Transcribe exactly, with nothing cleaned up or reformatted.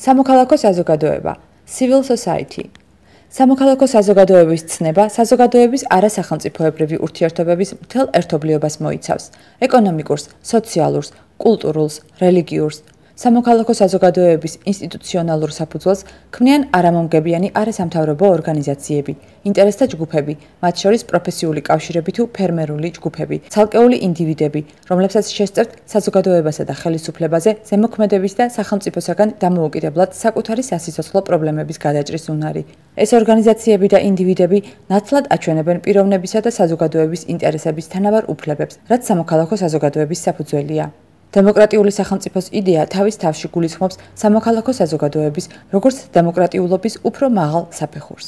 სამოქალაქო საზოგადოება civil society. სამოქალაქო საზოგადოების ცნება საზოგადოების არასახელმწიფოებრივი ურთიერთობების მთელ ერთობლიობას მოიცავს: ეკონომიკურს, სოციალურს, კულტურულს, რელიგიურს. სამოქალაქო საზოგადოების ინსტიტუციონალურ საფუძველს ქმნიან არამომგებიანი არასამთავრობო ორგანიზაციები, ინტერესთა ჯგუფები, მათ შორის პროფესიული კავშირები თუ ფერმერული ჯგუფები, ცალკეული ინდივიდები, რომლებსაც შესწევთ საზოგადოებასა და ხელისუფლებაზე ზემოქმედების და სახელმწიფოსაგან დამოუკიდებლად საკუთარი სასიცოცხლო პრობლემების გადაჭრის უნარი. ეს ორგანიზაციები და ინდივიდები ნათლად აჩვენებენ პიროვნებისა და საზოგადოების ინტერესების თანაბარ უფლებებს, რაც სამოქალაქო საზოგადოების საფუძველია. დემოკრატიული სახელმწიფოს იდეა თავის თავში გულისხმობს სამოქალაქო საზოგადოების როგორც დემოკრატიულობის უფრო მაღალ საფეხურს.